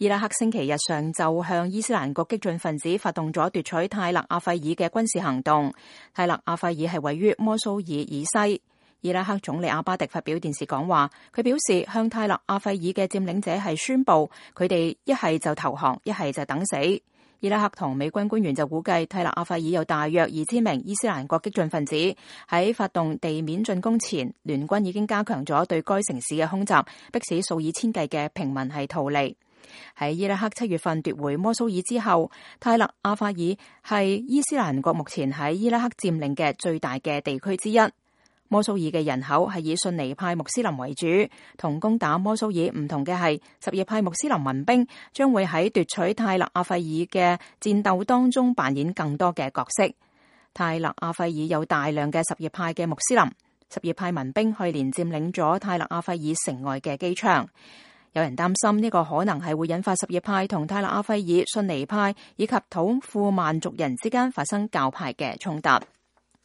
伊拉克星期日上晝向伊斯蘭國激進分子發動咗奪取泰勒阿費爾嘅軍事行動。泰勒阿費爾係位於摩蘇爾以西。伊拉克總理阿巴迪發表電視講話，佢表示向泰勒阿費爾嘅佔領者係宣布，佢哋一係就投降，一係就等死。伊拉克同美軍官員就估計，泰勒阿費爾有大約2000名伊斯蘭國激進分子。喺發動地面進攻前，聯軍已經加強咗對該城市嘅空襲，迫使數以千計嘅平民係逃離。喺伊拉克7月份奪回摩蘇爾之後，泰勒阿費爾係伊斯蘭國目前喺伊拉克佔領嘅最大嘅地區之一。摩蘇爾嘅人口係以遜尼派穆斯林為主，同攻打摩蘇爾唔同嘅係，什葉派穆斯林民兵將會喺奪取泰勒阿費爾嘅戰鬥當中扮演更多嘅角色。泰勒阿費爾有大量嘅什葉派嘅穆斯林，什葉派民兵去年佔領咗泰勒阿費爾城外嘅機場。有人擔心呢個可能係會引發什葉派同泰勒阿費爾遜尼派以及土庫曼族人之間發生教派嘅衝突。